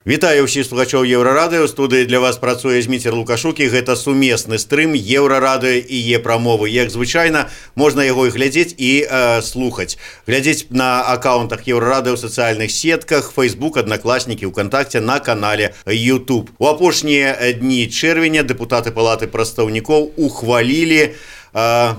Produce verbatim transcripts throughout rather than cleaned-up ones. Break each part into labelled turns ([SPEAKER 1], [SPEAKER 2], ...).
[SPEAKER 1] Вітаю ўсіх слухачоў Еўрарадыё. У студыі для вас працуе Зміцер Лукашук, і гэта сумесны стрым Еўрарадыё і Е-прамовы. Як звычайна, можна яго і глядзець і э, слухаць. Глядзець на аккаунтах Еўрарадыё ў сацыяльных сетках, Facebook, Аднакласнікі, ВКонтакце, на канале YouTube. У апошнія дні чэрвеня дэпутаты Палаты прадстаўнікоў ухвалілі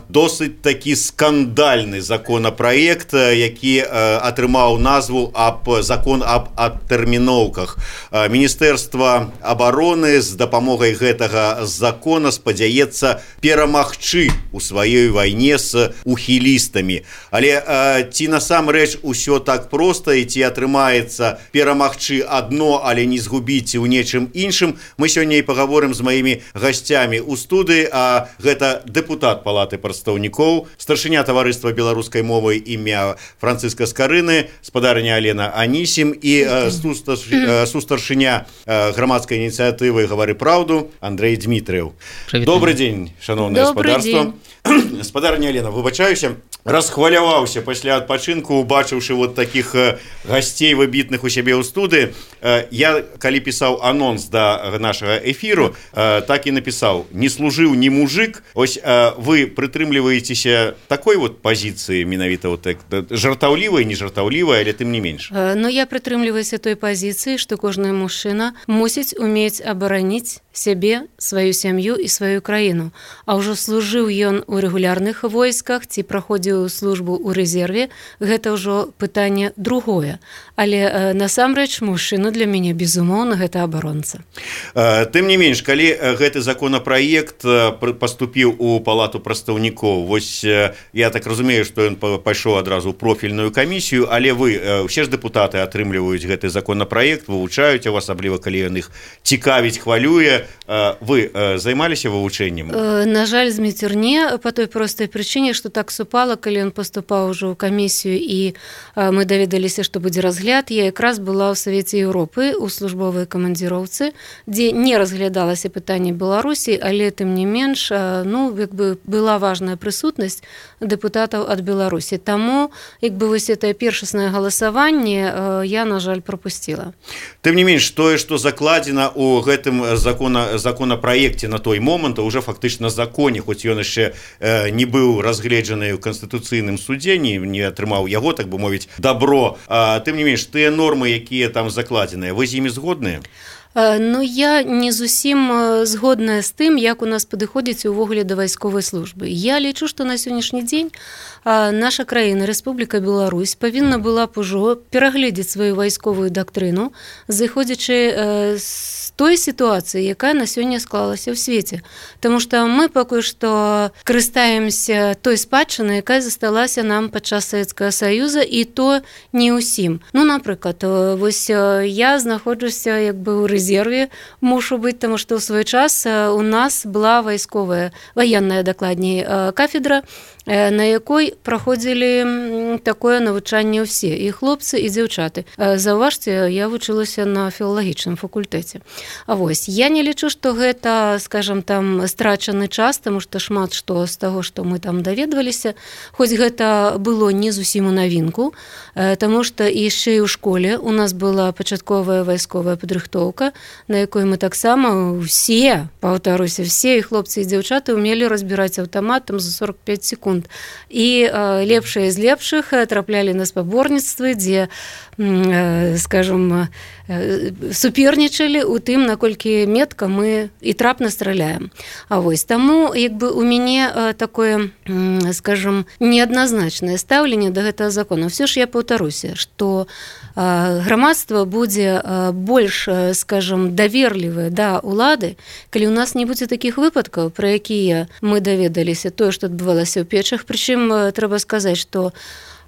[SPEAKER 1] досыць такі скандальны законапраект, які атрымаў назву аб закон аб адтэрміноўках. Міністэрства абароны з дапамогай гэтага закона спадзяецца перамагчы у сваёй вайне з ухілістамі. Але ці насамрэч усё так проста, і ці атрымаецца перамагчы адно, але не згубіць у нечым іншым, мы сёння і пагаворым з маімі гасцямі ў студыі, а гэта дэпутат Палаты прадстаўнікоў, старшыня таварыства беларускай мовы імя Францыска Скарыны, спадарыня Алена Анісім і сустаршыня грамадскай ініцыятывы «Гавары праўду» Андрэй Дмітрыеў. Добрый дзень, шаноўнае спадарства. Спадарыня Алена, выбачаюся, расхваляваўся пасля адпачынку, убачыўшы вот такіх гасцей выбітных у сябе ў студыі. Я, калі пісаў анонс да нашага эфіру, так і напісаў: не служыў ні мужик. Ось вы прытрымліваецеся такой вот пазіцыі, менавіта вот так, жартаўлівай, не жартаўлівай, але тым не менш?
[SPEAKER 2] Ну, я прытрымліваюся той пазіцыі, што кожны мужчына мусіць умець абараніць сябе, сваю сям'ю і сваю краіну. А ўжо служыў ён у рэгулярных войсках ці праходзіў службу ў рэзерве, гэта ўжо пытанне другое. Але э, насамрэч мужчына для мяне, безумоўна, гэта абаронца.
[SPEAKER 1] Тым не менш, калі гэты законапраект паступіў у Палату прадстаўнікоў, вось я так разумею, што ён пайшоў адразу ў профільную камісію, але вы, усе ж дэпутаты атрымліваюць гэты законапраект, вывучаюць его, асабліва калі ён іх цікавіць, хвалюе. Вы займаліся вывучэннем?
[SPEAKER 2] На жаль, Зміцер, не, па той простай прычыне, што так супала, калі ён паступаў ужо ў камісію і мы даведаліся, што будзе разгляд. Я якраз была ў Савеце Еўропы у службовай камандзіроўцы, дзе не разглядалася пытанне Беларусі, але тым не менш, ну, як бы была важная прысутнасць дэпутатаў ад Беларусі. Таму, як бы вось гэтае першаснае галасаванне я, на жаль, прапусціла.
[SPEAKER 1] Тым не менш, тое, што закладзена ў гэтым закон законапраекце на той момант, уже фактычна законе, хоць ён яшчэ э, не быў разгледжаны ў канстытуцыйным судзе, не, не атрымаў яго, так бы мовіць, добро. А, тым не менш, тыя нормы, якія там закладзеныя, вы з імі згодныя?
[SPEAKER 2] Ну, я не зусім згодная з тым, як у нас падыходзіць увогуле да вайсковай службы. Я лічу, што на сённяшні дзень наша краіна, Рэспубліка Беларусь, павінна была б ужо перагледзець сваю вайсковую дактрыну, зыходзячы з той сітуацыі, якая на сёння склалася ў свеце. Таму што мы пакуль што карыстаемся той спадчынай, якая засталася нам падчас Савецкага Саюза, і то не ўсім. Ну, напрыклад, вось я знаходжуся як бы ў рэзерве, мушу быць, таму што ў свой час у нас была вайсковая, ваенная, дакладней, кафедра, на якой праходзілі такое навучанне ўсе, і хлопцы, і дзяўчаты. Заўважце, я вучылася на філалагічным факультэце. А вось, я не лічу, што гэта, скажам, там, страчаны час, таму што шмат што з таго, што мы там даведваліся, хоць гэта было не зусім у навінку, таму што яшчэ і ў школе у нас была пачатковая вайсковая падрыхтоўка, на якой мы таксама ўсе, паўтаруся, все і хлопцы, і дзяўчаты умелі разбіраць аўтамат там за сорок пяць секунд. І э, лепшыя з лепшых траплялі на спаборніцтвы, дзе, э, скажем, э, супернічалі ў тым, наколькі метка мы і трапна страляем. А вось таму, як бы у мяне э, такое, э, скажем, неадназначнае стаўленне да гэтага закона. Все ж я паўтаруся, што э, грамадства будзе э, больш, э, скажем, даверлівае да ўлады, калі у нас не будзе такіх выпадкаў, пра якія мы даведаліся, тое, што адбывалася ў печах. Прычым трэба сказаць, што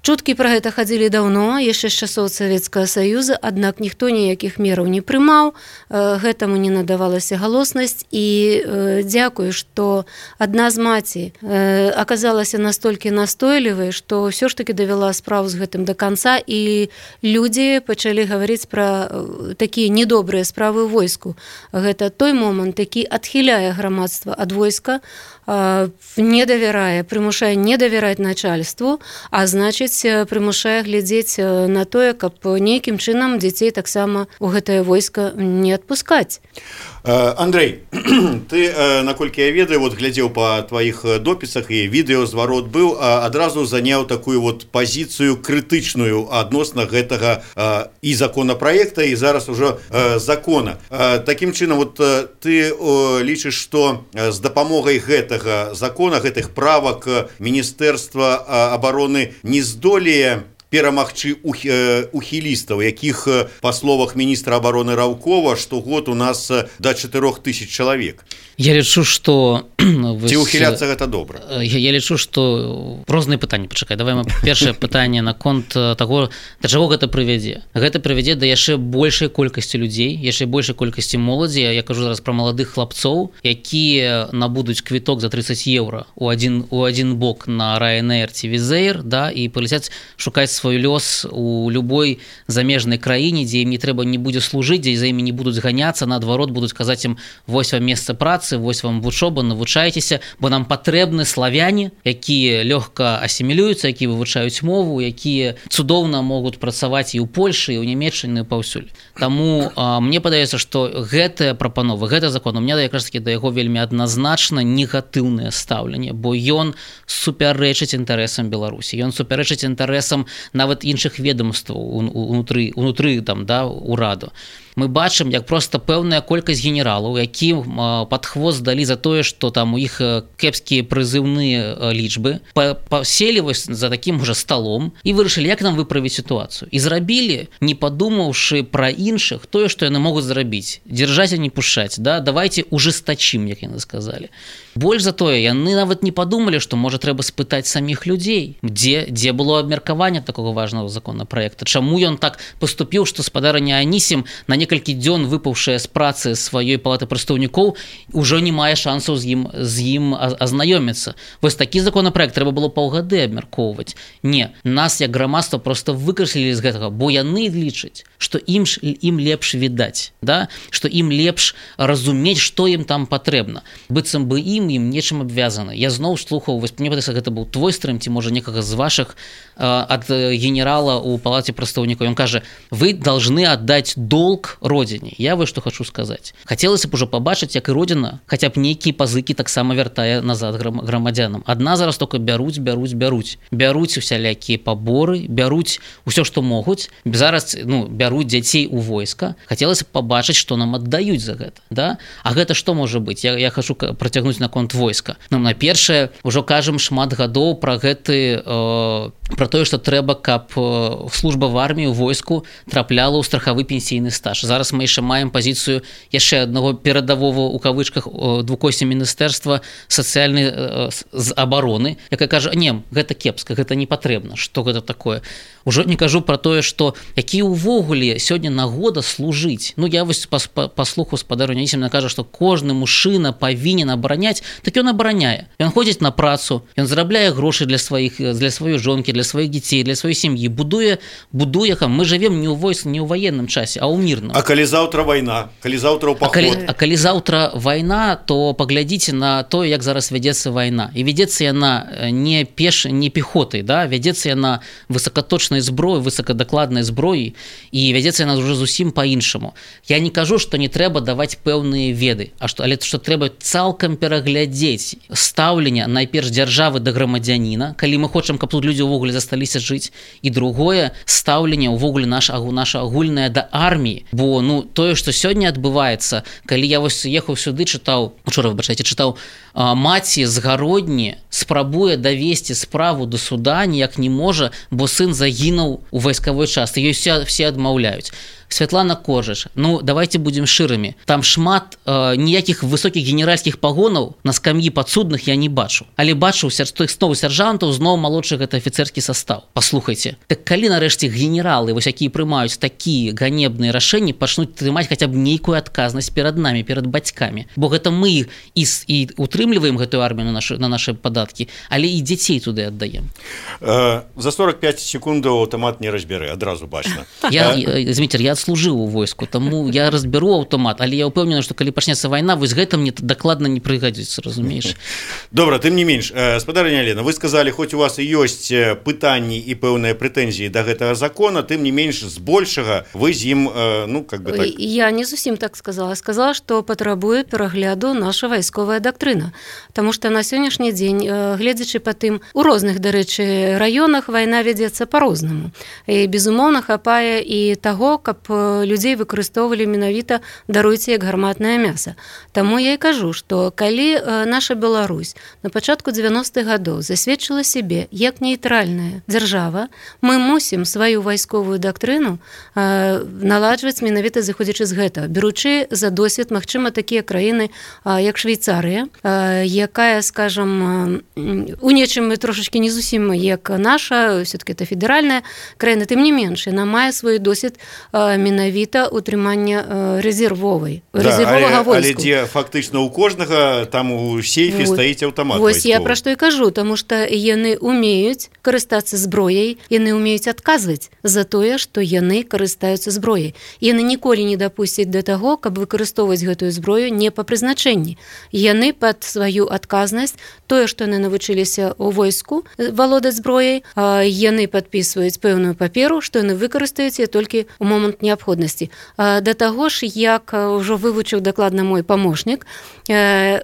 [SPEAKER 2] чуткі пра гэта хадзілі даўно, яшчэ з часоў Савецкага Саюза, аднак ніхто ніякіх мераў не прымаў, гэтаму не надавалася галоснасць, і дзякую, што адна з маці аказалася настолькі настойлівай, што ўсё ж такі давяла справу з гэтым да канца, і людзі пачалі гаварыць пра такія недобрыя справы ў войску. Гэта той момант, які адхіляе грамадства ад войска, не давярае, прымушае не давяраць начальству, а значыць, глядзець, прымушае глядзець на тое, каб нейкім чынам дзяцей таксама у гэтае войска не адпускаць.
[SPEAKER 1] Андрей, ты, наколькі я ведаю, вот глядзеў па тваіх допісах і відэазварот быў, адразу заняў такую вот пазіцыю крытычную адносна гэтага і законапраекта, і зараз ужо закона. Такім чынам, вот ты лічыш, што з дапамогай гэтага закона, гэтых правак Міністэрства абароны не здолее перамагчы ухілістаў, якіх, па словах міністра абароны Раўкова, штогод у нас да чатырох тысяч чалавек.
[SPEAKER 3] Я лічу, што...
[SPEAKER 1] Ці ухіляцца гэта добра?
[SPEAKER 3] Я, я лічу, што... Розныя пытанні, пачакай. Давай мы першае пытанне наконт таго, да чаго гэта прывядзе. Гэта прывядзе да яшчэ большай колькасці людзей, яшчэ большай колькасці моладзі. Я кажу зараз пра маладых хлапцоў, якія набудуць квіток за трыццаць еўра у адзін, у адзін бок на Ryanair ці Wizz Air, да, і паляцяць шукаць свой лёс у любой замежнай краіне, дзе ім не трэба не будзе служыць, дзе за імі не будуць ганяцца, наадварот будуць казаць ім: вось вам месца працы, вось вам вучоба, навучайцеся, бо нам патрэбны славяне, якія лёгка асімілююцца, якія вывучаюць мову, якія цудоўна могуць працаваць і ў Польшы, і ў Нямецчыны, і паўсюль. Таму а, мне падаецца, што гэтая прапанова, гэта закон, у меня якраз такі да яго вельмі адназначна негатыўнае стаўленне, бо ён супярэчыць інтарэсам Беларусі, ён супярэчыць інтарэсам нават іншых ведомстваў унутры, унутры там, да, ураду. Мы бачым, як проста пэўная колькасць генералаў, якім пад хвост далі за тое, што там у іх кепскія прызыўныя лічбы, паселі вось за такім уже сталом і вырашылі, як нам выправіць сітуацыю. І зрабілі, не падумаўшы пра іншых, тое, што яны могуць зрабіць. Дзяржаць, а не пушаць, да? Давайте ужестачым, як яны сказалі. Больш за тое, яны нават не падумалі, што можа трэба спытаць саміх людзей, дзе, дзе было абмеркаванне такога важнага законапраекта, чаму ён так паступіў, што спадарня Анісім, на некалькі дзён выпаўшая з працы сваёй палаты прадстаўнікоў, ужо не мае шансаў з ім, з ім азнаёміцца. Вось такі законапраект трэба было паўгады абмяркоўваць. Не, нас як грамадства проста выкрэслілі з гэтага, бо яны лічаць, што ім, ім лепш відаць, да? Што ім лепш разумець, што ім там патрэбна. Быццам бы ім ім нечым абвязаны. Я зноў слухаў, вось мне падаецца, гэта быў твой стрым, ці можа некага з вашых, ад генерала ў палаце прадстаўнікаў. Ён кажа: вы должны аддаць долг родине. Я вось што хочу сказаць. Хацелася б ужо пабачыць, як і родина хаця б нейкія пазыкі таксама вяртае назад грамадзянам. Адна зараз только бяруць, бяруць, бяруць. Бяруць усялякія паборы, бяруць усё, што могуць. Зараз, ну, бяруць дзяцей у войска. Хацелася б пабачыць, што нам аддаюць за гэта, да? А гэта што можа быць? Я, я хочу працягнуць на конт войска. Ну, на першае, ужо кажам шмат гадоў пра гэты, э, пра тое, што трэба, каб э, служба в арміі, у войску трапляла ў страхавы пенсійны стаж. Зараз мы яшчэ маем пазіцыю яшчэ аднаго перадавого у кавычках двукосці міністэрства сацыяльнай э, з абароны, якая кажа: не, гэта кепска, гэта не патрэбна, што гэта такое. Ужо не кажу пра тое, што які ўвогуле сёння нагода служыць. Ну, я вось паслухаў спадарню Анісіма, кажа, што кожны мужчына павінен абараняць, так ён абараняе. Ён ходзіць на працу, ён зарабляе грошы для сваіх, для сваёй жонкі, для сваіх дзяцей, для сваёй сям'і, будуе, будуе, мы жывем не ў войск, не ў ваенным часе, а ў мірным.
[SPEAKER 1] А калі заўтра вайна, калі заўтра ў паход? А калі,
[SPEAKER 3] а калі заўтра вайна, то паглядзіце на тое, як зараз вядзецца вайна. І вядзецца яна не пеш, не пехотай, да? Вядзецца яна высокаточнай зброі, высокадакладнай зброі, і вядзецца яна ўжо зусім па-іншаму. Я не кажу, што не трэба даваць пэўныя веды, а што, але што трэба цалкам пераглядзець стаўленне найперш дзяржавы да грамадзяніна, калі мы хочам, каб тут людзі ўвогуле засталіся жыць, і другое стаўленне ўвогуле наша, наша агульная да арміі. Бо ну тое, што сёння адбываецца, калі я вось ехаў сюды, чытаў, учора, выбачайце, чытаў, а, маці з Гародні спрабуе давесці справу до суда, ніяк не можа, бо сын загінуў у вайскавой частцы, ёй все, все адмаўляюць. Святлана Коржыч, ну давайте будем шырымі. Там шмат э, ніякіх высокіх генеральскіх пагонаў на скам'і падсудных я не бачу. Але бачу тых зноў сяржантаў, зноў малодшы гэта афіцэрскі састаў. Паслухайце, так калі нарэшце генералы, вось якія прымаюць такія ганебныя рашэнні, пачнуць трымаць хаця б нейкую адказнасць перад намі, перад бацькамі. Бо гэта мы і, і утрымліваем гэтую армію на нашы, на нашы падаткі, але і дзяцей туды аддаем.
[SPEAKER 1] Э, за сорок пяць секундаў аўтамат не разбярэ, адразу бачна.
[SPEAKER 3] Я, Зміцер, я адслужыў у войску, таму я разбяру аўтамат, але я ўпэўнены, што калі пачнецца вайна, вось гэта мне дакладна не прыгадзіцца, разумееш.
[SPEAKER 1] Добра, тым не менш, спадарыня Алена, вы сказалі, хоць у вас і ёсць пытанні і пэўныя прэтэнзіі да гэтага закона, тым не менш збольшага вы з ім, ну, как бы так...
[SPEAKER 2] Я не зусім так сказала. Сказала, што патрабуе перагляду наша вайсковая дактрына. Таму што на сённяшні дзень, гледзячы па тым, у розных, дарэчы, раёнах вайна вядзецца па-рознаму. І, безумоўна, хапае і таго, каб людзей выкарыстоўвалі менавіта, даруйце, як гарматнае мяса. Таму я і кажу, што калі наша Беларусь на пачатку дзевяностых гадоў засведчыла сябе як нейтральная дзяржава, мы мусім сваю вайсковую дактрыну наладжваць менавіта зыходзячы з гэтага, беручы за досвед, магчыма, такія краіны, як Швейцарыя, якая, скажам, у нечым трошачкі не зусім як наша, все-таки это федэральная краіна, тым не менш, яна мае свой досвед менавіта утрымання рэзервовай, рэзервовага войску.
[SPEAKER 1] Але дзе фактычна у кожнага там у сейфе вот стаіць аўтамат
[SPEAKER 2] вайсковы. Вось я пра што і кажу, таму што яны умеюць карыстацца зброяй, яны умеюць адказваць за тое, што яны карыстаюцца зброяй. Яны ніколі не дапусцяць да таго, каб выкарыстоўваць гэтую зброю не па прызначэнні. Яны пад сваю адказнасць, тое, што яны навучыліся ў войску валодаць зброяй, яны падпісваюць пэўную паперу, што яны выкарыстаюць толькі ў момант неабходнасці. Да таго ж, як ўжо вывучыў дакладна мой памочнік,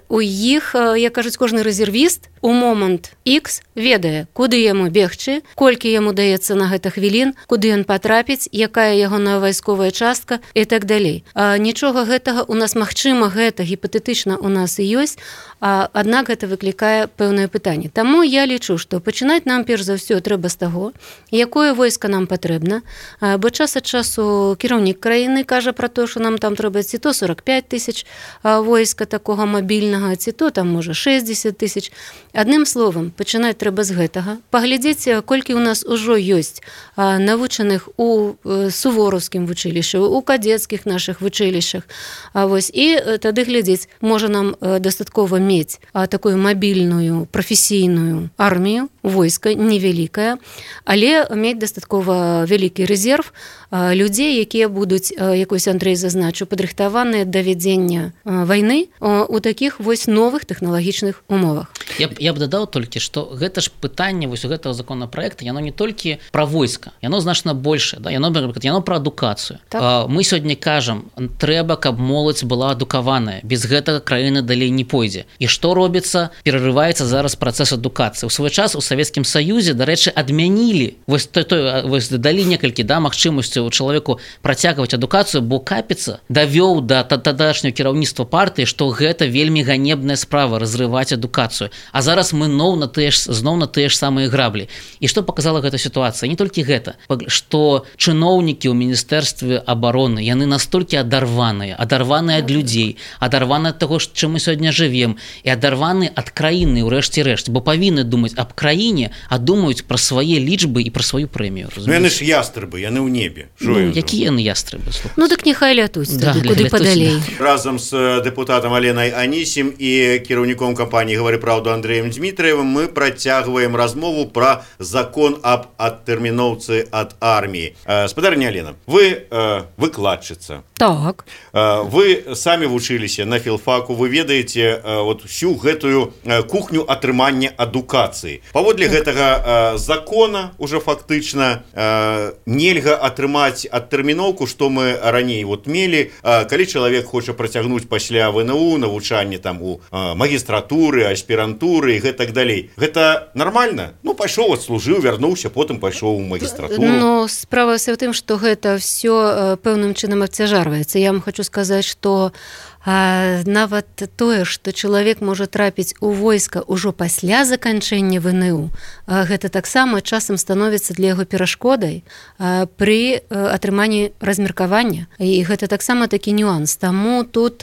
[SPEAKER 2] у іх, як кажуць, кожны рэзервіст у момант X ведае, куды яму бегчы, колькі яму даецца на гэта хвілін, куды ён патрапіць, якая ягоная вайсковая частка і так далей. Нічога гэтага у нас, магчыма, гэта гіпатэтычна у нас і ёсць, аднак гэта выклікае пэўнае пытанне. Таму я лічу, што пачынаць нам перш за ўсё трэба з таго, якое войска нам патрэбна, бо час ад часу кіраўнік краіны кажа пра то, што нам там трэба ці то сорок пять тысяч войска такога мабільнага, ці то там можа шэсцьдзесят тысяч. Адным словам, пачынаць трэба з гэтага, паглядзець, колькі ў нас ужо ёсць навучаных у сувораўскім вучылішчы, у кадецкіх нашых вучылішчах. Вось, і тады глядзець, можа нам дастаткова мець такую мабільную, прафесійную армію, войска невялікая, але мець дастаткова вялікі рэзерв людзей, якія будуць, як вось Андрэй зазначыў, падрыхтаваныя да вядзення вайны у такіх вось новых тэхналагічных умовах.
[SPEAKER 3] Я б, я б дадаў толькі, што гэта ж пытанне вось у гэтага законапраекта, яно не толькі пра войска, яно значна большае, да? яно, яно пра адукацыю. Так. Мы сёння кажам, трэба, каб моладзь была адукаваная, без гэтага краіна далей не пойдзе. І што робіцца? Перарываецца зараз працэс адукацыі. У свой час у Савецкім Саюзе, дарэчы, адмянілі, вось, той, той, вось далі некалькі да, магчымасцяў чалавеку працягваць адукацыю, бо Капіца давёў да тадашняго кіраўніцтва партыі, што гэта вельмі ганебная справа разрываць адукацыю. А зараз мы ноў на тыя ж, зноў на тыя ж самыя граблі. І што паказала гэта сітуацыя? Не толькі гэта, што чыноўнікі ў Міністэрстве абароны, яны настолькі адарваныя, адарваныя ад людзей, адарваныя ад таго, чым мы сёння жывем, і адарваны ад краіны, ўрэшце рэшт, бо павінны думаць аб краіне, а думаюць пра свае лічбы і пра сваю прэмію.
[SPEAKER 1] Ну, яны ж ястрыбы, яны ў небе.
[SPEAKER 3] Ну, якія яны ястрыбы?
[SPEAKER 2] Ну, так няхай лятуць, да, куды падалей.
[SPEAKER 1] Разам з дэпутатам Аленай Анісім і кіраўніком кампаніі «Гавары праўду» Андрэем Дмітраевым мы працягваем размову пра закон аб адтэрміноўцы ад арміі. Спадарыня Алена, вы э, выкладчыца.
[SPEAKER 2] Так.
[SPEAKER 1] Э, вы самі вучыліся на філфаку, вы ведаеце э, вот, всю гэтую э, кухню атрымання адукацыі. Паводле так. гэтага э, закона уже фактычна э, нельга атрымаць адтэрміноўку, што мы раней вот мелі, э, калі чалавек хоча працягнуць пасля ВНУ, навучанне там у э, магістратуры, аспірантуры і гэтак далей. Гэта нормально? Ну, пайшоў, адслужыў, вярнуўся, потым пайшоў у магістратуру.
[SPEAKER 2] Ну, справа ў тым, што гэта ўсё пэўным чынам абцяжарваецца. Я вам хочу сказаць, што А нават тое, што чалавек можа трапіць у войска ўжо пасля заканчэння ВНУ, гэта таксама часам становіцца для яго перашкодай пры атрыманні размеркавання. І гэта таксама такі нюанс. Таму тут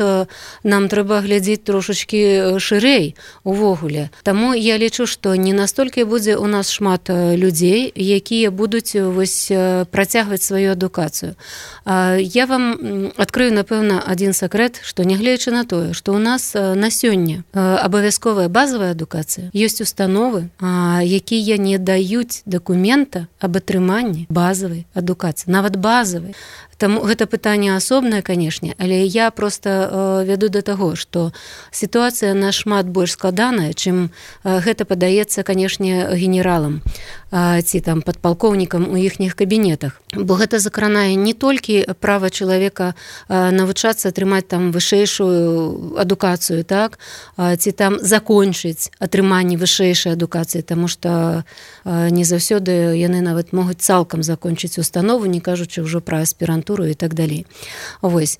[SPEAKER 2] нам трэба глядзець трошачкі шырэй увогуле. увогуле. Таму я лічу, што не настолькі будзе у нас шмат людзей, якія будуць вось працягваць сваю адукацыю. Я вам адкрыю, напэўна, адзін сакрэт, што нягледзячы на тое, што ў нас на сёння абавязковая базавая адукацыя, ёсць установы, якія не даюць дакумента аб атрыманні базавай адукацыі, нават базавай. Таму гэта пытанне асобнае, канешне, але я проста э, вяду да таго, што сітуацыя нашмат больш складаная, чым э, гэта падаецца, канешне, генералам э, ці там падпалкоўнікам у іхніх кабінетах. Бо гэта закранае не толькі права чалавека э, навучацца атрымаць там вышэйшую адукацыю, так, э, ці там закончыць атрыманне вышэйшай адукацыі, таму што э, не заўсёды яны нават могуць цалкам закончыць установу, не кажучы ўжо пра аспірантуру і так далей. Вось.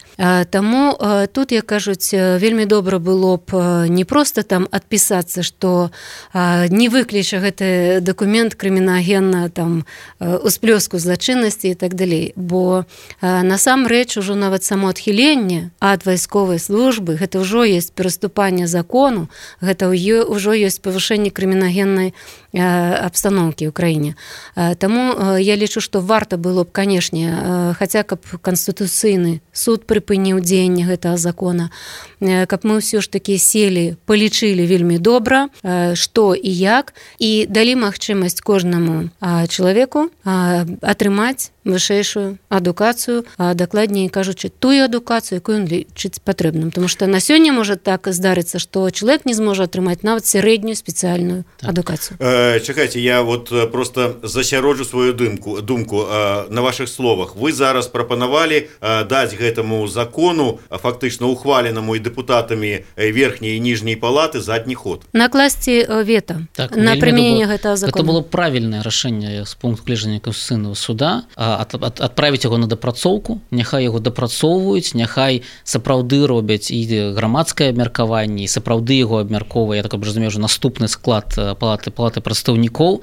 [SPEAKER 2] Таму тут, як кажуць, вельмі добра было б не проста там адпісацца, што не выкліча гэты дакумент крымінагенна там усплёску злачыннасці і так далей. Бо насамрэч ужо нават само адхіленне ад вайсковай службы, гэта ўжо ёсць пераступанне закону, гэта ўжо ёсць павышэнне крымінагеннай абстаноўкі ў краіне. Таму я лічу, што варта было б, канешне, хаця каб Канстытуцыйны суд прыпыніў дзеянне гэтага закона, каб мы ўсё ж такі селі, палічылі вельмі добра, што і як, і далі магчымасць кожнаму чалавеку атрымаць вышэйшую адукацыю, а дакладней кажучы, тую адукацыю, якую ён лічыць патрэбным. Тому што на сёння можа так здарыцца, што чалавек не зможа атрымаць нават сярэднюю спецыяльную так. адукацыю.
[SPEAKER 1] Э, чакайце, я вот просто засяроджу сваю думку, думку э, на вашых словах. Вы зараз прапанавалі э, даць гэтаму закону, фактычна ухваленаму і дэпутатамі верхняй і ніжняй палаты задні ход.
[SPEAKER 2] Накласці вета так, на прымяненне гэтага закона.
[SPEAKER 3] Гэта было правільнае рашэнне з пункту гледжання Конституцыйнага суда. Ад, ад, адправіць яго на дапрацоўку, няхай яго дапрацоўваюць, няхай сапраўды робяць і грамадскае абмеркаванне, і сапраўды яго абмяркоўвае, я так разумею, уже наступны склад палаты палаты прадстаўнікоў.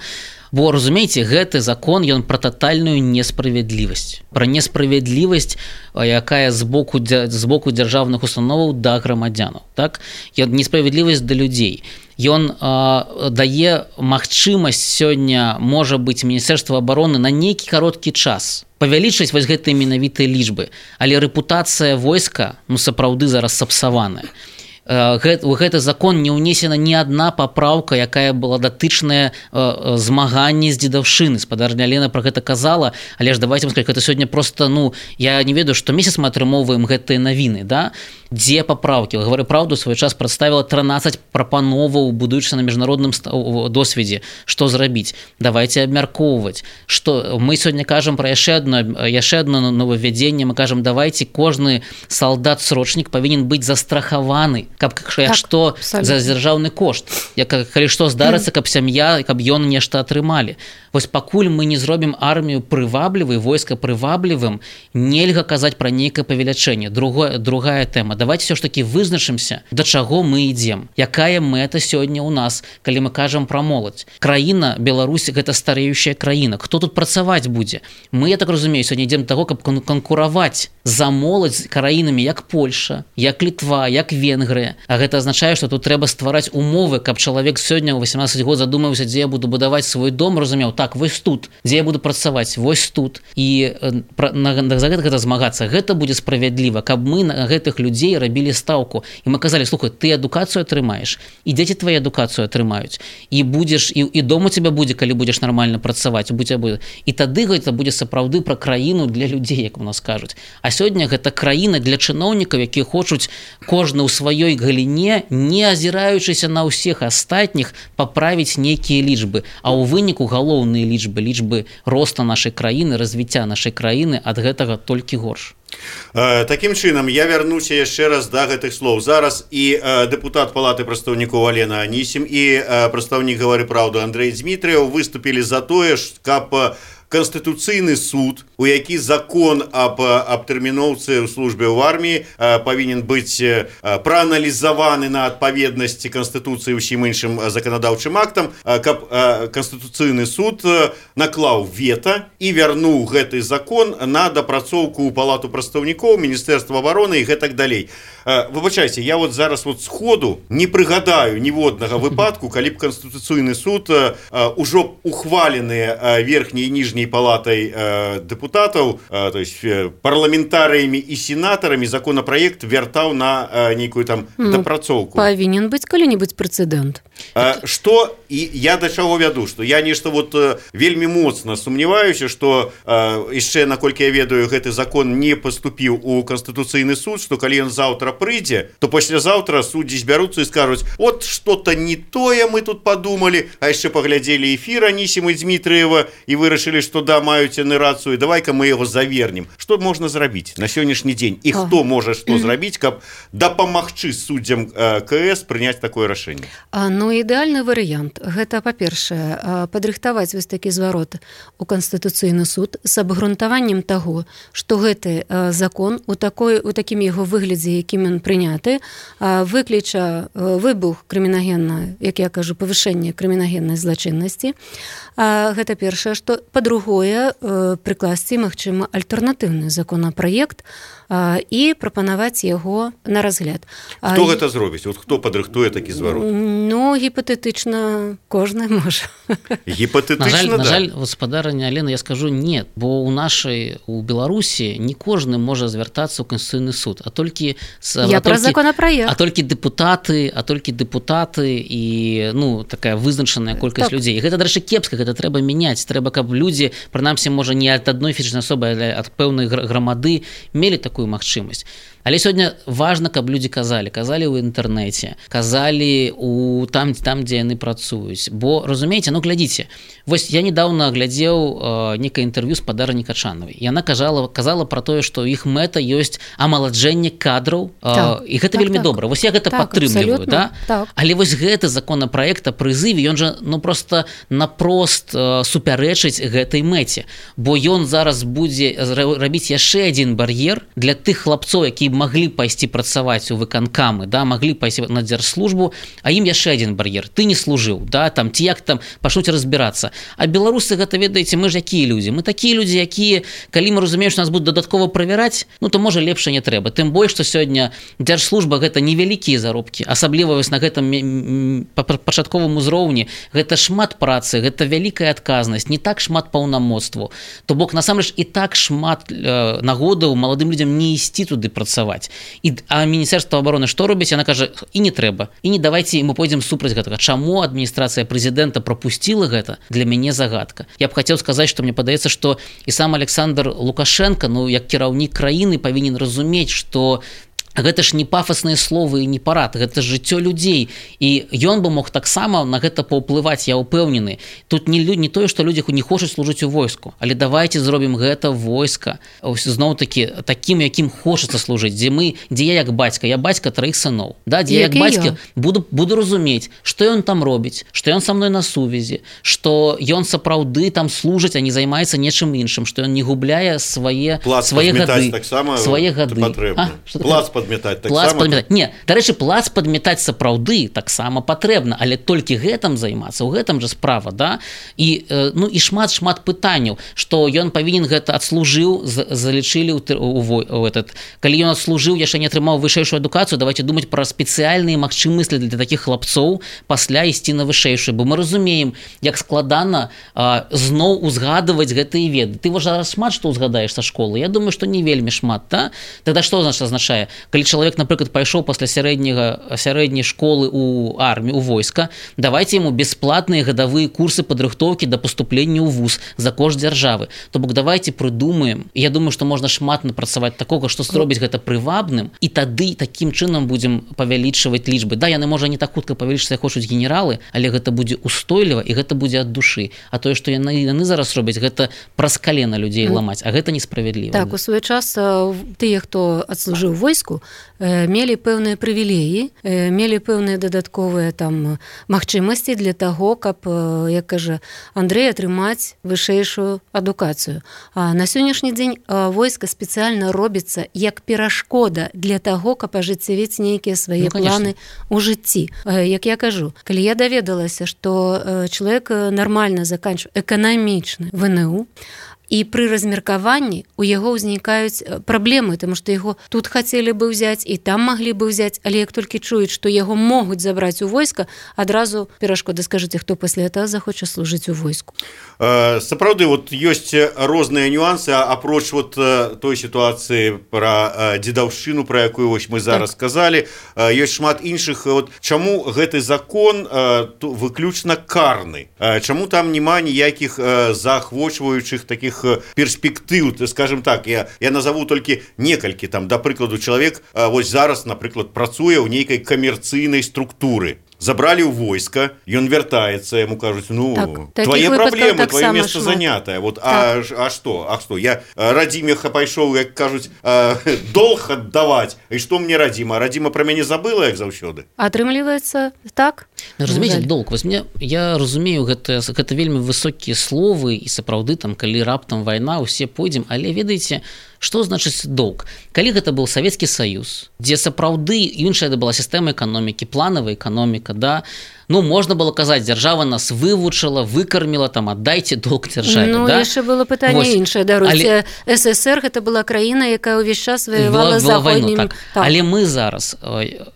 [SPEAKER 3] Бо, разумееце, гэты закон, ён пра татальную несправядлівасць, пра несправядлівасць, якая з боку, з боку дзяржаўных установаў да грамадзянаў. Так? Ён несправядлівасць да людзей. Ён э, дае магчымасць сёння, можа быць, Міністэрства абароны на нейкі кароткі час павялічыць вось гэтыя менавітыя лічбы, але рэпутацыя войска, ну, сапраўды зараз сапсаваная. У гэты закон не ўнесена ні адна папраўка, якая была датычная змаганні з дзедаўшчыны. Спадарня Лена пра гэта казала, але ж давайте сказаць, гэта сёння просто, ну, я не ведаю, што месяц мы атрымоўваем гэтыя навіны, да? Дзе папраўкі? Гавару праўду, свой час прадставіла трынаццаць прапановаў, будуючыся на міжнародным досведзе, што зрабіць. Давайте абмяркоўваць. Што мы сёння кажам пра яшчэ адно, яшчэ адно новаввядзенне, мы кажам, давайте кожны салдат-срочнік павінен быць застрахаваны, каб так, што абсолютно. За дзяржаўны кошт, як калі што здарыцца, каб сям'я, каб ён нешта атрымалі. Вось пакуль мы не зробім армію прываблівай, войска прываблівым, нельга казаць пра нейкае павелічэнне. Другое, другая тэма. Давайте все ж таки вызначымся, да чаго мы ідзем. Якая мэта сёння ў нас, калі мы кажам пра моладзь. Краіна Беларусь гэта стареючая краіна. Хто тут працаваць будзе? Мы, я так разумею, сёння ідзем да таго, каб канкураваць за моладзь краінамі як Польша, як Літва, як Венгрыя. А гэта азначае, што тут трэба ствараць умовы, каб чалавек сёння ў васемнаццаць год задумаўся, дзе я буду будаваць свой дом, разумеў, так, вось тут, дзе я буду працаваць, вось тут. І на, на, за гэта, гэта змагацца. Гэта будзе справядліва, каб мы на гэтых людзей рабілі стаўку. І мы казалі, слухай, ты адукацыю атрымаеш, і дзеці твою адукацыю атрымаюць. І будзеш, і, і дом у цябе будзе, калі будзеш нармальна працаваць, будзе. І тады гэта будзе сапраўды пра краіну для людзей, як у нас кажуць. А сёння гэта краіна для чыноўнікаў, якія хочуць кожны ў сваёй галіне, не азіраючыся на ўсіх астатніх, паправіць нейкія лічбы. А ў выніку галоўныя лічбы, лічбы роста нашай краіны, развіцця нашай краіны ад гэтага толькі горш.
[SPEAKER 1] Такім чынам, я вярнуся яшчэ раз да гэтых слоў. Зараз і дэпутат палаты прадстаўнікоў Алена Анісім і прадстаўнік «Гавары праўду» Андрэй Дзмітрыеў выступілі за тое, каб Канстытуцыйны суд, у які закон аб абтэрміноўцы ў службе ў арміі павінен быць прааналізаваны на адпаведнасці Канстытуцыі ўсім іншым заканадаўчым актам, каб Канстытуцыйны суд наклаў вета і вярнуў гэты закон на дапрацоўку ў палату прадстаўнікоў, Міністэрства абароны і гэтак далей. Выбачайце, я вот зараз вот сходу не прыгадаю ніводнага выпадку, калі б Канстытуцыйны суд ужо ухваленыя верхняй і ніжняй палатай дэпутатаў, то есть парламентарыямі і сенатарамі законапраект вяртаў на нейкую там дапрацоўку.
[SPEAKER 2] Павінен быць калі-небудзь прэцэдэнт.
[SPEAKER 1] Што і я да чаго вяду, што я нешта вот вельмі моцна сумняваюся, што яшчэ, наколькі я ведаю, гэты закон не паступіў у Канстытуцыйны суд, што калі ён заўтра прыйдзе, то паслязаўтра суддзі збяруцца і скажуць: от што-то не тое мы тут падумалі, а яшчэ паглядзелі эфір Анісімы Дзмітрыева і вырашылі, што да, маюць яны рацыю, давай-ка мы яго завернем. Што можна зрабіць на сённяшні дзень? І хто можа што зрабіць, каб дапамагчы суддзям КС прыняць такое рашэнне?
[SPEAKER 2] Ну, ідэальны варыянт. Гэта, па-першае, падрыхтаваць вось такі зварот у Канстытуцыйны суд з абгрунтаваннем таго, што гэты закон у такой, у такім яго выглядзе, якім ён прыняты, выкліча выбух крымінагенна, як я кажу, павышэнне крымінагеннай злачыннасці. Гэта першае, што па-другое, прыкласці, магчыма, альтэрнатыўны законапраект і прапанаваць яго на разгляд.
[SPEAKER 1] Хто гэта зробіць? Вот хто падрыхтуе такі зварот?
[SPEAKER 2] Ну, гіпатэтычна кожны можа.
[SPEAKER 1] Гіпатэтычна,
[SPEAKER 3] на жаль,
[SPEAKER 1] да.
[SPEAKER 3] На жаль, гаспадарыня Алена, я скажу нет, бо у нашай, у Беларусі не кожны можа звяртацца ў Канстытуцыйны суд, а толькі
[SPEAKER 2] я пра законапраект.
[SPEAKER 3] А толькі дэпутаты, а толькі дэпутаты і, ну, такая вызначаная колькасць так. людзей. І гэта, дарэчы, кепска, гэта трэба мяняць. Трэба, каб людзі, прынамсі, можа, не ад адной фізічнай асобы, але ад пэўнай грамады мелі такую магчымасць. Але сёння важна, каб людзі казалі, казалі ў інтэрнэце, казалі у там, там, дзе яны працуюць. Бо, разумееце, ну, глядзіце, вось я недавно глядзеў э, некае інтэрв'ю з Падарыні Качанавай. Яна казала, казала пра тое, што іх мэта ёсць амаладжэнне кадраў, э, так, і гэта так, вельмі так. добра. Вось я гэта так, падтрымліваю, да? Так. Але вось гэты законапраект о прызыве, ён жа, ну, проста напрост э, супярэчыць гэтай мэце. Бо ён зараз будзе рабіць яшчэ адзін бар'ер для тых хлапцоў, якія маглі пайсці працаваць у выканкамы, да, маглі пайсці на дзяржслужбу, а ім яшчэ адзін бар'ер. Ты не служыў, да, там, ці як там пачнуць разбірацца. А беларусы, гэта, ведаеце, мы ж якія людзі? Мы такія людзі, якія, калі мы разумеем, што нас будуць дадаткова правяраць, ну, то, можа, лепш не трэба. Тым больш, што сёння дзяржслужба гэта невялікія заробкі, асабліва вось на гэтым пачатковым узроўні. Гэта шмат працы, гэта вялікая адказнасць, не так шмат паўнамоцтву. То бок, насамрэч, і так шмат э, нагодаў маладым людзям не ісці туды працаваць. І, а Міністэрства абароны што робіць? Яна кажа, і не трэба. І не давайце, мы пойдзем супраць гэтага. Чаму адміністрацыя прэзідэнта прапусціла гэта? Для мяне загадка. Я б хацеў сказаць, што мне падаецца, што і сам Александр Лукашенко, ну, як кіраўнік краіны, павінен разумець, што гэта ж не пафасныя словы і не парад, гэта жыццё людзей. І ён бы мог таксама на гэта паўплываць, я ўпэўнены. Тут не, не тое, што людзі не хочуць служыць у войску, але давайте зробім гэта войска зноў-такі такім, якім хочацца служыць, дзе мы, дзе я як бацька, я бацька траіх сыноў, да, дзе як бацька буду, буду разумець, што ён там робіць, што ён са мной на сувязі, што ён сапраўды там служыць, а не займаецца нечым іншым, што ён не губляе свае, свае гады. Свае гады.
[SPEAKER 1] Плац падметаць, так
[SPEAKER 3] плац
[SPEAKER 1] само...
[SPEAKER 3] падметаць. Не, дарэчы, плац падметаць сапраўды таксама патрэбна, але толькі гэтым займацца, у гэтым жа справа, да? І, э, ну, і шмат-шмат пытанняў, што ён павінен гэта адслужыў, залічылі ў, у, у, у этот, калі ён адслужыў, яшчэ не атрымаў вышэйшую адукацыю, давайте думаць пра спецыяльныя магчымасці для такіх хлапцоў пасля ісці на вышэйшую, бо мы разумеем, як складана э, зноў узгадываць гэтыя веды. Ты вось зараз шмат што ўзгадаеш са школы, я думаю, што не вельмі шмат, да? Тогда што значыць азначае? Калі чалавек, напрыклад, пайшоў пасля сярэдняга сярэдняй школы ў армію, у войска, давайте яму бясплатныя гадавыя курсы падрыхтоўкі да паступлення ў вуз за кошт дзяржавы. То бок давайте прыдумаем. Я думаю, што можна шмат напрацаваць такога, што зробіць гэта прывабным, і тады такім чынам будзем павялічваць лічбы. Да, яны можа не так хутка павялічыцца, як хочуць генералы, але гэта будзе устойліва і гэта будзе ад душы. А тое, што яны, яны зараз робяць, гэта праз калена людзей ламаць, а гэта несправядліва.
[SPEAKER 2] Так, у свой час тыя, хто адслужыў войску, мелі пэўныя прывілеі, мелі пэўныя дадатковыя там магчымасці для таго, каб, як кажа Андрэй, атрымаць вышэйшую адукацыю. А на сённяшні дзень войска спецыяльна робіцца як перашкода для таго, каб ажыццявіць нейкія свае ну, планы ў жыцці. Як я кажу, калі я даведалася, што чалавек нармальна заканчвае эканамічны вэ эн у, і пры размеркаванні у яго ўзнікаюць праблемы, таму што яго тут хацелі бы ўзяць і там маглі бы ўзяць, але як толькі чуюць, што яго могуць забраць у войска, адразу перашкода. Скажыце, хто пасля этого захоча служыць у войску.
[SPEAKER 1] Сапраўды, вот ёсць розныя нюансы, апроч вот той сітуацыі пра дзедаўшчыну, пра якую вось мы зараз так. сказалі, ёсць шмат іншых. Вот чаму гэты закон выключна карны? Чаму там няма ніякіх заахвочваючых такіх перспектыў, скажем так, я, я назову толькі некалькі, там, да прыкладу, чалавек вось зараз, напрыклад, працуе ў нейкай камерцыйнай структуры. Забрали ў войска, ён вяртаецца, яму кажуць, ну, так, твои праблемы, твоё месца занятае. Вот, так. а, а што? А што? Я радзімеха пайшоў, як кажуць, долг аддаваць. І што мне радзіма? Радзіма пра мяне забыла, як заўсёды?
[SPEAKER 2] Атрымліваецца так?
[SPEAKER 3] Разумееце, долг. Вось мне, я разумею, гэта, гэта вельмі высокія словы, і сапраўды, там, калі раптам вайна, усе пойдзем, але ведаеце, што значыць долг? Калі гэта быў Савецкі Саюз, дзе сапраўды іншая была сістэма эканомікі, планавая эканоміка, да, ну, можна было казаць, дзяржава нас вывучыла, выкарміла, там, аддайце долг дзяржаве,
[SPEAKER 2] ну,
[SPEAKER 3] да?
[SPEAKER 2] Ну, яшчэ было пытанне іншае, даруйце. Але... эс эс эр гэта была краіна, якая ўвесь час ваявала заходнім.
[SPEAKER 3] Так. Так. Але мы зараз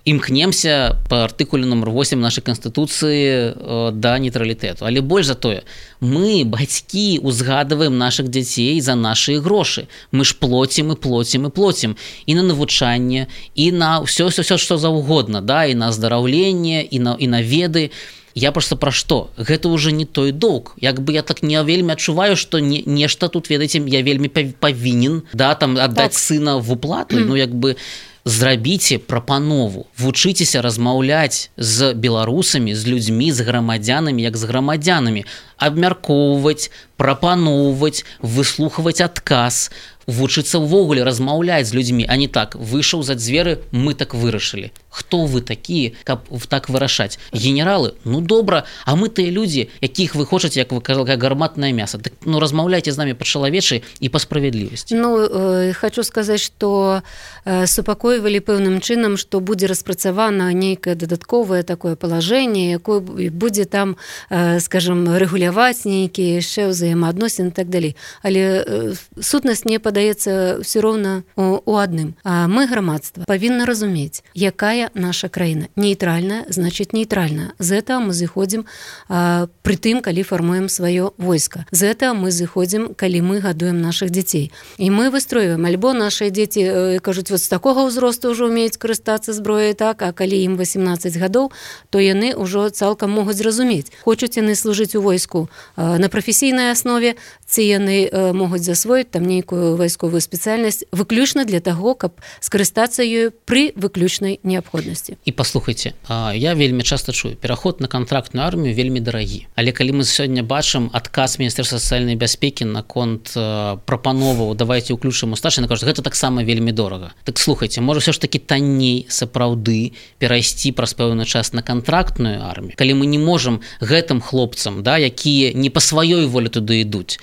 [SPEAKER 3] імкнемся па артыкуле нумар восем нашай Канстытуцыі да нейтралітэту. Але больш за тое, мы, бацькі, узгадываем нашых дзяцей за нашы грошы. Мы ж плоцім і плоцім і плоцім і на навучанне, і на ўсё, ўсё, ўсё, што заўгодна, да, і на аздараўленне, і на, і на веды. Я просто пра што? Гэта ўжо не той долг. Як бы я так не вельмі адчуваю, што не, нешта тут, ведаеце, я вельмі павінен, да, там, аддаць так. сына в уплату, mm. ну, як бы зрабіце прапанову, вучыцеся размаўляць з беларусамі, з людзьмі, з грамадзянамі, як з грамадзянамі, абмяркоўваць, прапаноўваць, выслухваць адказ, вучыцца ўвогуле размаўляць з людзьмі, а не так, выйшаў за дзверы, мы так вырашылі. Хто вы такія, каб так вырашаць? Генералы? Ну добра, а мы тыя людзі, якіх вы хочаце, як вы казалі, гарматнае мяса. Так, ну размаўляйце з намі па-чалавечы і па справядлівасці.
[SPEAKER 2] Ну, э, хочу сказаць, што э, супакойвалі пэўным чынам, што будзе распрацавана нейкае дадатковае такое палажэнне, якое будзе там, э, скажем, рэгуляваць нейкія яшчэ ўзаемаадносіны і так далей. Але э, сутнасць не падаецца ўсё роўна у, у адным. А мы, грамадства, павінна разумець, якая наша краіна. Нейтральная, значит нейтральная. З этого мы зыходзім а, пры тым, калі фармуем сваё войска. З этого мы зыходзім, калі мы гадуем наших дзяцей. І мы выстройваем, альбо наши дзеці э, кажуць, вот з такога ўзросту ўжо умеюць карыстацца зброяй, так, а калі ім восемнадцаць гадоў, то яны ўжо цалкам могуць зразумець, хочуць яны служыць у войску э, на прафесійнай аснове, ці яны э, могуць засвоіць там нейкую вайсковую спецыяльнасць выключна для таго, каб скарыстацца ёю пры выключнай неабходнасці. І
[SPEAKER 3] паслухайце, я вельмі часта чую, пераход на кантрактную армію вельмі дарагі. Але калі мы сёння бачым адказ Міністэрства сацыяльнай бяспекі наконт прапановаў, давайте ўключым у старшых, яны кажуць, гэта таксама вельмі дорага. Так слухайце, можа ўсё ж такі танней сапраўды перайсці праз пэўны час на кантрактную армію, калі мы не можам гэтым хлопцам, да, якія не па сваёй волі туды ідуць,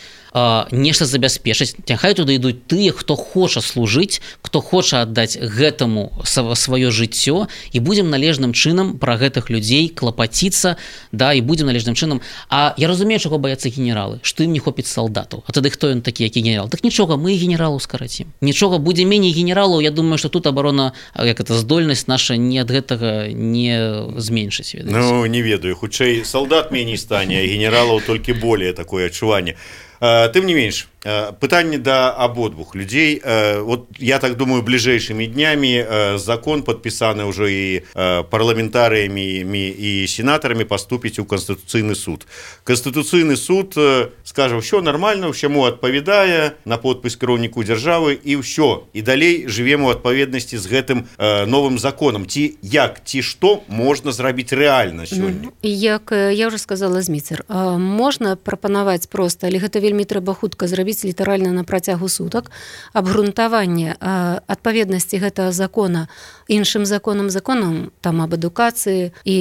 [SPEAKER 3] нешта забяспечыць, няхай туды ідуць тыя, хто хоча служыць, хто хоча аддаць гэтаму сваё жыццё, і будзем належным чынам пра гэтых людзей клапаціцца, да, і будзем належным чынам. А я разумею, чаго баяцца генералы, што ім не хопіць салдатаў. А тады хто ён такі, які генерал? Так нічога, мы і генералаў скарацім. Нічога, будзе меней генералаў, я думаю, што тут абарона, як это здольнасць наша не ад гэтага не зменшыць. Ведаеце.
[SPEAKER 1] Ну, не ведаю, хутчэй салдат меней стане, а генералаў толькі более такое адчуванне. Тым не менш, пытанне да абодвух людзей. Вот я так думаю, бліжэйшымі днямі закон, падпісаны ўжо і парламентарыямі і сенатарамі, паступіць у Канстытуцыйны суд. Канстытуцыйны суд скажа, ўсё нармальна, ўсяму адпавядае на подпіс кіраўніку дзяржавы, і ўсё. І далей жывем у адпаведнасці з гэтым новым законам. Ці як, ці што можна зрабіць рэальна сёння?
[SPEAKER 2] Як я ўжо сказала, Зміцер, можна прапанаваць проста, але гэта вельмі трэба хутка зрабіць, рабіць літаральна на працягу сутак, абгрунтаванне адпаведнасці гэтага закона іншым законам, законам там аб адукацыі і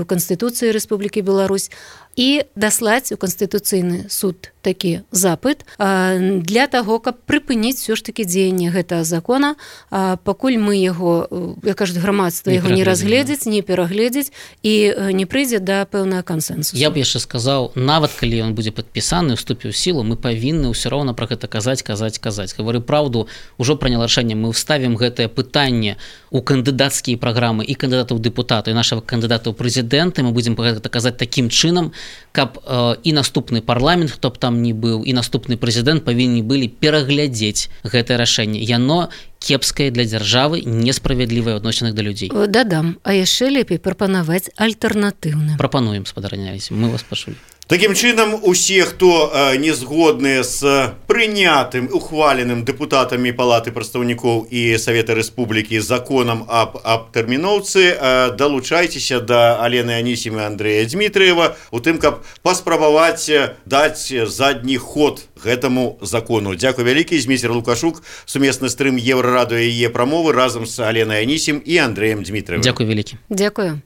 [SPEAKER 2] Канстытуцыі Рэспублікі Беларусь, і даслаць у Канстытуцыйны суд такі запыт для таго, каб прыпыніць все ж таки дзеянне гэтага закона, пакуль мы яго, як кажуць, грамадства яго не разгледзіць, не перагледзіць і не прыйдзе да пэўнага кансэнсусу.
[SPEAKER 3] Я б яшчэ сказаў, нават калі ён будзе падпісаны, уступіў сілу, мы павінны ўсё роўна пра гэта казаць, казаць, казаць. Гавары праўду, ужо прыняла рашэнне, мы ўставім гэтае пытанне у кандыдацкія праграмы і кандыдатаў дэпутата, і нашага кандыдата ў прэзідэнты, мы будзем пра гэта казаць такім чынам, каб э, і наступны парламент, хто б там не быў, і наступны прэзідэнт павінны былі пераглядзець гэтае рашэнне. Яно кепскае для дзяржавы, несправядлівае адносінах да людзей.
[SPEAKER 2] Дадам, а яшчэ лепей прапанаваць альтэрнатыўны.
[SPEAKER 3] Прапануем, спадарняюсь, мы вас пачулі.
[SPEAKER 1] Такім чынам, усе, хто э, не згодныя з прынятым, ухваленым дэпутатамі Палаты прадстаўнікоў і Савета Рэспублікі законам аб, аб тэрміноўцы, э, далучайцеся да Алены Анісім і Андрэя Дмітрыева у тым, каб паспрабаваць даць задні ход гэтаму закону. Дзякуй вялікі, Зміцер Лукашук, сумесны стрым Еўрарадыё і яе прамовы разам з Аленай Анісім і Андрэем Дмітрыевым.
[SPEAKER 3] Дзякуй вялікі.
[SPEAKER 2] Дзякую.